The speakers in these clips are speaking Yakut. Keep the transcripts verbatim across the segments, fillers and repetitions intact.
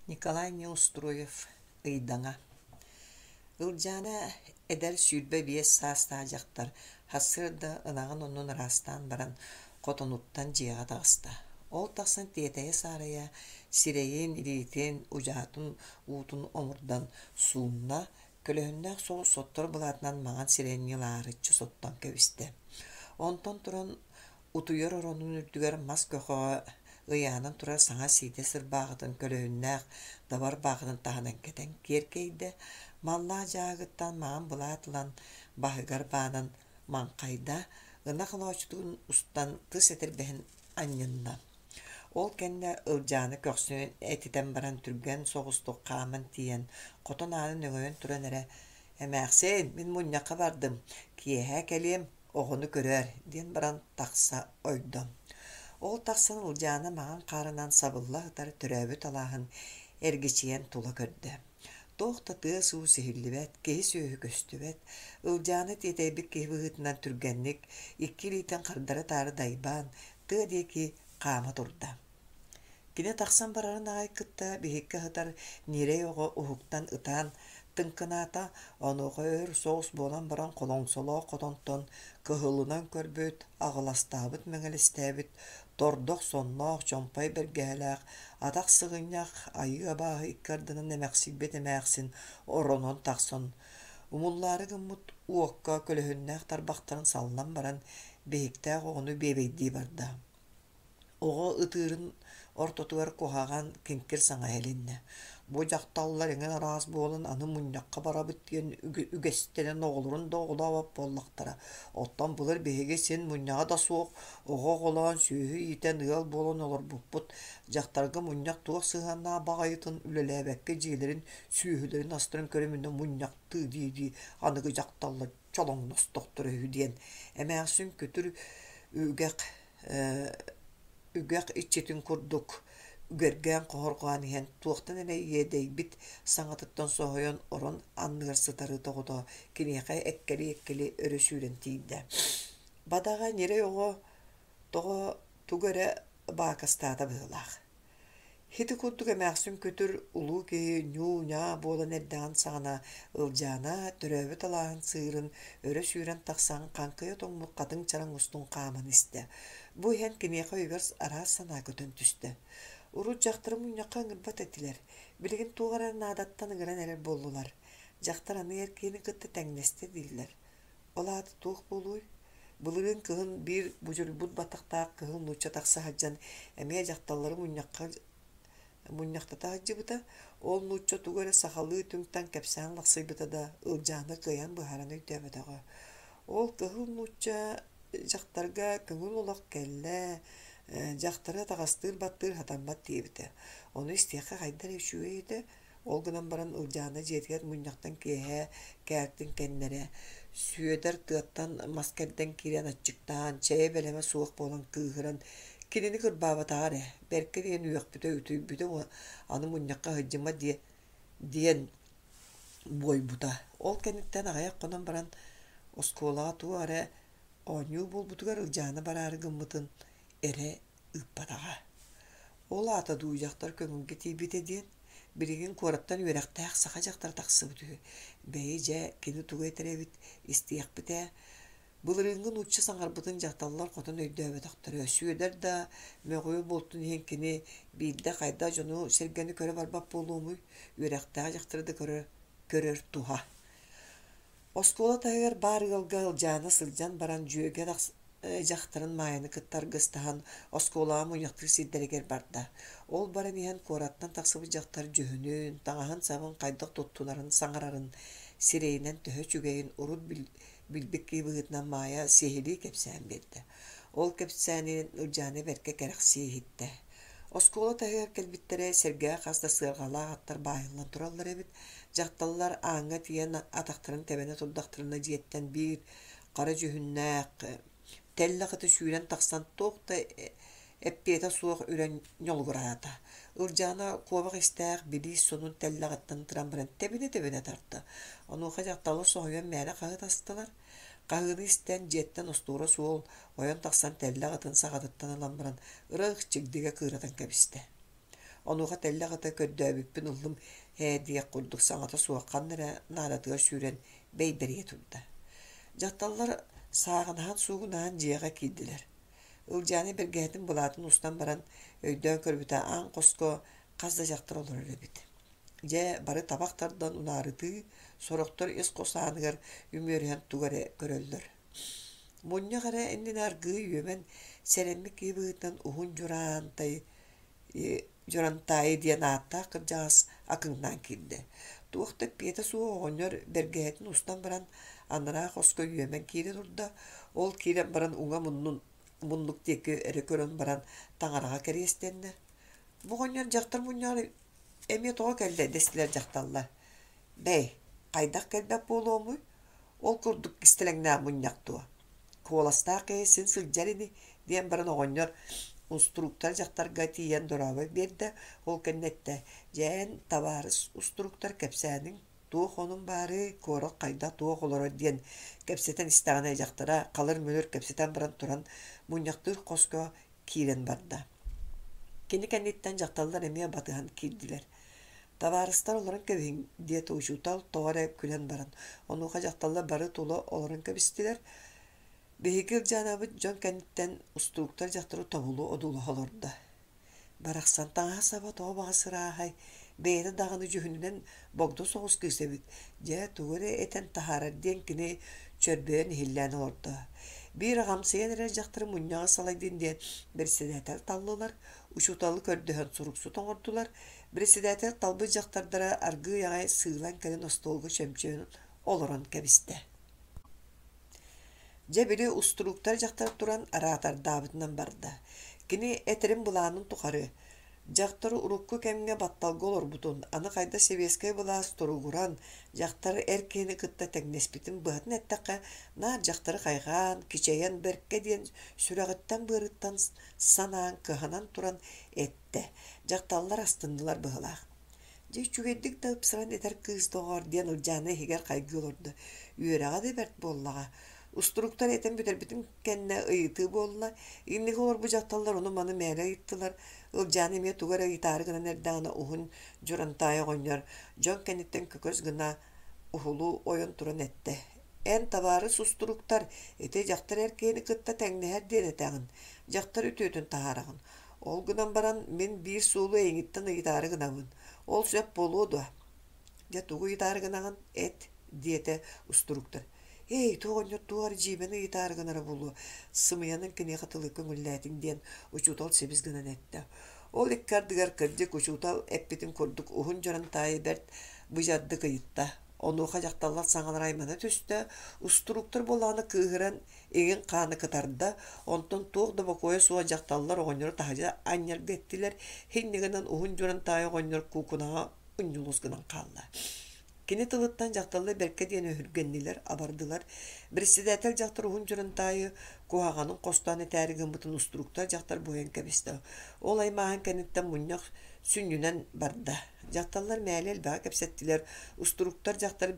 Николай Неустроев «Ыйдаҥа» Ылдьаана эдэр сүүрбэ биэс саастаах дьахтар сарсыарда ынаҕын оннун ыраастаан баран хотонуттан дьиэҕэ таҕыста. Ол тахсан тиэтэйэ-саарайа сирэйин, илиитин, удьаатын уутун омурдан суунна, көлөһүннээх соҕус соттор былаатынан маҥан сирэйин ньылаарыччы соттон кэбистэ. Онтон туран утуйар оронун үрдүгэр мас көхөҕө ыйаанан турар саҥа сиидэс ырбааҕытын көлөһүннээх дабар баахытын таһынан кэтэн киэркэйдэ, маллаах дьааһыгыттан маҥан былаат ылан баһыгар баанан маҥхайда, ынах олооччутун устан тыс этэрбэһин анньынна. Ол кэннэ Ылдьааны көхсүн этитэн баран түргэн соҕустук хааман тиийэн хотон аанын өҥөйөн туран эрэ «Эмээхсин, мин мунньахха бардым, киэһэ кэлиэм, оҕону көрөөр» диэн баран тахса ойдо. Ол тахсан Ылдьаана маҥан хаарынан сабылла сытар төрөөбүт алааһын эргичийэн тула көрдө. Туох да тыас-уус иһиллибэт, киһи-сүөһү көстүбэт. Ылдьаана тиэтэйбит киһи быһыытынан түргэнник, икки илиитин хардары-таары дайбаан, тыа диэки хаама турда. Кини тахсан барарын аҕай кытта биһикки аһытар ньирэй оҕо уһуктан ытаан тыҥкынаата, онуоха өр соҕус буолан баран холоҥсолоох хотонтон кыһылынан көрбүт, аҕыластаабыт мэҥэлэстээбит, тордох сонноох, чомпой бэргэһэлээх, атах сыгынньах, айыы абааһы икки ардынан эмэхсийбит эмээхсин оронон тахсан, умуллаары гыммыт уокка көлөһүннээх тарбахтарын саллан баран, биһиктээх оҕону биэбэйдии барда. Оҕо ытыырын ортотугар куһаҕан, киҥкир саҥа иһилиннэ: «Бу дьахталлар эҥин араас буолан аны мунньахха барабыт диэн үгэстэнэн оҕолорун да оҕолообот буоллахтара. Оттон былыр биһиги син мунньаҕа да суох оҕо оҕолоон, сүөһү иитэн ыал буолан олорбуппут. Дьахтарга мунньах туох сыһыаннаах баҕайытын үлэлээбэккэ дьиэлэрин, сүөһүлэрин астарын көрүмүнэ мунньахтыы дии-дии аныгы дьахталлар чолоҥностохторо үһү» диэн эмээхсин күтүр үгэх үгэх иччитин курдук үгэргээн хоһорҕоон иһэн туохтан эрэ иэдэйбит саҥатыттан соһуйан орон анныгар сытары тоҕото киниэхэ эккэлии-эккэлии өрө сүүрэн тиийдэ. Бадаҕа ньирэй оҕо тоҕо тугу эрэ баакастаата быһыылаах. Ити курдук эмээхсин күтүр улуу киһи ньуу-ньаа буолан эрдэҕин саҕана Ылдьаана төрөөбүт алааһын сыырын өрө сүүрэн тахсан хаҥкыйа тоҥмут хатыҥ чараҥ устун хааман истэ. Бу иһэн киниэхэ өйүгэр араас санаа көтөн түстэ. Урут дьахтары мунньахха ыҥырбат этилэр, билигин туох эрэ наадаттан ыҥыран эрэр буоллулар. Дьахтар аны эр киһини кытта тэҥнэстэ дииллэр. Ол аата туох буолуой? Былырыын кыһын биир будьуруйбут баттахтаах кыһыл нуучча тахса сылдьан эмиэ дьахталлары мунньахха мунньахтата сылдьыбыта. Ол нуучча тугу эрэ сахалыы түҥ-таҥ кэпсээн лахсыйбыта да, Ылдьаана кыайан быһааран өйдөөбөтөҕө. Ол кыһыл нуучча дьахтарга көҥүл олох кэллэ, дьахтары атаҕастыыр-баттыыр сатаммат диэбитэ. Ону истиэххэ хайдах эрэ үчүгэй этэ. Ол гынан баран Ылдьаана дьиэтигэр мунньахтан киэһэ кээлтин кэннэрэ Сүөдэр тыаттан мас кэрдэн киирэн аччыктаан, чэйэ бэлэмэ суох буолан кыыһыран кинини кырбаабатаҕа эрэ, бэркэ диэн үөхпүтэ, үтүйбүтэ аны мунньахха сылдьыма диэ диэн буойбута. Ол кэнниттэн аҕыйах хонон баран оскуолаҕа туох эрэ оонньуу буолбутугар Ылдьаана бараары гыммытын эрэ ыыппатаҕа. Ол аата дуу дьахтар көҥүлгэ тиийбитэ диэн, билигин куораттан үөрэхтээх саха дьахтара тахсыбыт үһү. Бэйи дьэ, кини тугу этэр эбит, истиэхпит ээ. Былырыыҥҥы нуучча саҥарбытын дьахталлар хотон өйдөөбөтөхтөрө. Сүөдэр да мөҕүө буолтун иһин кини биирдэ хайдах дьону-сэргэни көрө барбат буолуомуй, үөрэхтээх дьахтары да көрөр, көрөр туһа. Оскуола таһыгар баар ыалга Ылдьаана сылдьан баран дьүөгэ дьахтарын Маайаны кытта аргыстаһан оскуолаҕа мунньахтыыр сирдэригэр барда. Ол баран иһэн куораттан тахсыбыт дьахтар дьүһүнүн, таҥаһын-сабын хайдах туттунарын, саҥарарын, сирэйинэн төһө үчүгэйин урут билбит киһи быһыытынан Маайа сиһилии кэпсээн биэрдэ. Ол кэпсээнин Ылдьаана бэркэ кэрэхсии иһиттэ. Оскуола таһыгар кэлбиттэрэ сэргээх хас да сыарҕалаах аттар баайыллан тураллар эбит. Дьахталлар ааҥҥа тиийэн атахтарын тэбэнэ турдахтарына дьиэттэн биир хара дьүһүннээх тэллэх ыты сүүрэн тахсан туох да эппиэтэ суох үрэн ньолугураата. Ылдьаана куобах истээх билиис сонун тэллэҕиттэн ытыран баран тэбинэ-тэбинэ тарта. Онуоха дьахталлар соһуйан мээнэ хаһыытастылар. Хаһыыны истэн дьиэттэн остуора суол ойон тахсан тэллэх ытын саҕатыттан ылан баран ыраах чигдигэ кыыратан кэбистэ. Онуоха тэллэх ыта көрдөөбүппүн ыллым ээ диэх курдук саҥата суох ханна эрэ наадатыгар сүүрэн бэйбэрийэ турда. Дьахталлар сааҕынаһан суугунаһан дьиэҕэ киирдилэр. Ылдьаана бэргэһэтин былаатын устан баран өйдөөн көрбүтэ аан хоско хас да дьахтар олорор эбит. Дьэ, бары табах тардан унаарытыы, сорохтор ис хос ааныгар үмүөрүһэн тугу эрэ көрөллөр. Мунньах эрэ иннинэ аргыый үөмэн, сэрэммит киһи быһыытынан уһун дьураантай Дьурантаайы диэн ааттаах кырдьаҕас акыҥнаан киирдэ. Туох да эппиэтэ суох оҕонньор бэргэһэтин устан баран анараа хоско үөмэн киирэ турда. Ол киирэн баран уҥа муннун муннук диэки эрэ көрөн баран таҥараҕа кэриэстэннэ. Бу оҕонньор дьахтар мунньаҕар эмиэ тоҕо кэллэ дэстилэр дьахталлар. Бэй, хайдах кэлбэт буолуомуй? Ол курдук кистэлэҥнээх мунньах дуо? Куоластаах киһи син сылдьар ини диэн баран оҕонньор устуруктар дьахтарга тиийэн дорообо биэрдэ, ол кэннэ эттэ: «Дьээн, табаарыс устуруктар кэпсээниҥ туох онун баарый, куорат хайдах туох олорор» диэн кэпсэтэн истэҕинэ дьахтара халыр-мүлүр кэпсэтэн баран туран мунньахтыыр хоско киирэн барда. Кини кэнниттэн дьахталлар эмиэ батыһан киирдилэр. «Табаарыстар олорон кэбиһиҥ» диэтэ учуутал тоҕо эрэ күлэн баран. Онуоха дьахталлар бары тула олорон кэбистилэр. Биһиги Ылдьаанабыт дьон кэнниттэн устууктар дьахтары тобулу одуулаһа олордо. Барахсан таҥаһа-саба тоҕо баҕас ырааһай, бэйэтэ даҕаны дьүһүнүнэн богдо соҕус кыыс эбит, дьэ тугу эрэ этэн таһаарар диэн кини чөрбөйөн иһиллээн олордо. Биир аҕамсыйан эрэр дьахтары мунньаҕы салайдын диэн бэрэссэдээтэл таллылар, учууталы көрдөһөн суруксут оҥордулар. Бэрэссэдээтэл талбыт дьахтардара аргыый аҕай сыылан кэлэн остуолга чөмчөөн олорон кэбистэ. Дьэ били устурууктар дьахтар туран араатардаабытынан барда. Кини этэрин былаанын тухары дьахтар урукку кэмҥэ батталга олорбутун, аны хайда сэбиэскэй былаас туругуран, дьахтар эр киһини кытта тэҥнэспитин быһатын эттэххэ, наар дьахтары хайҕаан, кичэйэн бэркэ диэн сүрэҕиттэн-быарыттан санаан кыһанан туран эттэ. Дьахталлар астыннылар быһыылаах. Дьэ үчүгэйдик да ыпсаран этэр кыыс доҕоор диэн Ылдьаана иһигэр хайгыы олордо. Үөрэҕэ да бэрт буоллаҕа. Устуруктар этэн бүтэрбитин кэннэ ыйытыы буолла. Инники олорбут дьахталлар ону-маны мээлэ ыйыттылар. Ылдьаана эмиэ тугу эрэ ыйытаары гынан эрдэҕинэ уһун Дьурантаайы оҕонньор дьон кэнниттэн көкөс гына уһулу ойон туран эттэ: «Эн табаарыс устуруктар, ити дьахтар эр киһини кытта тэҥнэһэр диэн этэҕин, дьахтар үтүөтүн таһаараҕын. Ол гынан баран мин биир суолу эйигиттэн ыйытаары гынабын. Ол сөп буолуо дуо?» «Дьэ тугу ыйытаары гынаҕын, эт» диэтэ устуруктар. «Эй, туох оҕонньор туох эрэ дьиибэни ыйытаары гынара буолуо, сымыйанан киниэхэ тылы көҥүллээтиҥ» диэн учуутал сибис гынан эттэ. Ол икки ардыгар кырдьык учуутал эппитин курдук уһун дьарантаайы бэрт быдьардык ыйытта. Онуоха дьахталлар саҥалара аймана түстэ, устуруктар буоллаҕына кыыһыран иҥин хаана кытарда, онтон туох да бокуойа суох дьахталлар оҕонньору таһырдьа анньарга эттилэр, инньэ гынан уһун дьурантаайы оҕонньор куукунаҕа унньулус гынан хаалла. Кини тылыттан дьахталлар бэркэ диэн өһүргэннилэр, абардылар. Председатель дьахтар уһун дьурантаайы куһаҕанын хостоон этээри гыммытын устуруктар дьахтар буойан кэбистэ. Ол аймааһын кэнниттэн мунньах сүнньүнэн барда. Дьахталлар мээлэ элбэҕи кэпсэттилэр. Устуруктар дьахтар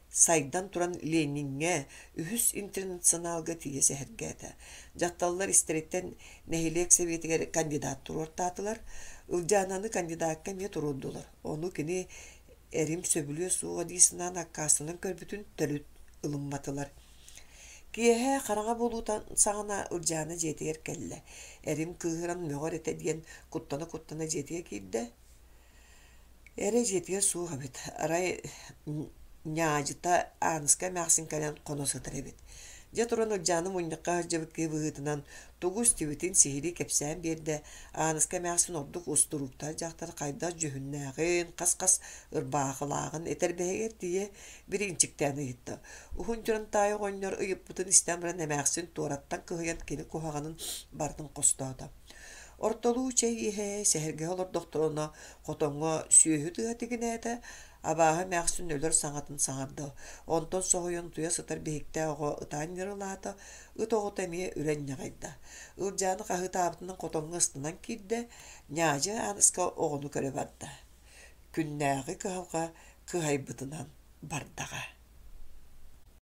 сайдан туран Лениҥҥэ, үһүс интернационалга тиийэ сэһэргээтэ. Дьахталлар истэриттэн нэһилиэк сэбиэтигэр кандидат туруортаатылар. Ылдьаананы кандидакка эмиэ туруордулар. Ону кини эрим сөбүлүө суоҕа дии санаан аккаастанан көрбүтүн төрүт ылымматылар. Киэһэ хараҥа буолуута саҕана Ылдьаана дьиэтигэр кэллэ. Эрим кыыһыран мөҕөр этэ диэн куттана-куттана дьиэтигэр киирдэ. Эрэ дьиэтигэр суох эбит. Арай ньаадьыта Ааныска эмээхсин кэлэн хоно сытар эбит. Дьэ туран Ылдьаана мунньахха сылдьыбыт киһи быһыытынан тугу истибитин сиһилии кэпсээн биэрдэ. Ааныска эмээхсин ордук устурууктаах дьахтар хайдах дьүһүннээҕин, хас-хас ырбаахылааҕын этэрбэһигэр тиийэ бириинчиктээн ыйытта. Уһун Дьурантаайы оҕонньор ыйыппытын истэн баран эмээхсин туораттан кыһыйан кини куһаҕанын барытын хостоото. Ортолуу чэй иһэ сэһэргэһэ олордохторуна хотоҥҥо сүөһү тыаһа тигинээтэ, абааһы эмээхсин өлөр саҥатын саҥарда. Онтон соһуйан утуйа сытар биһиктээх оҕо ытаан ньырылаата, ыт оҕото эмиэ үрэн ньаҕайда. Ылдьааны хаһыытаабытынан хотоҥҥо ыстанан киирдэ, ньаадьы Ааныска оҕону көрө барда. Күннээҕи кыһалҕа кыһайбытынан бардаҕа.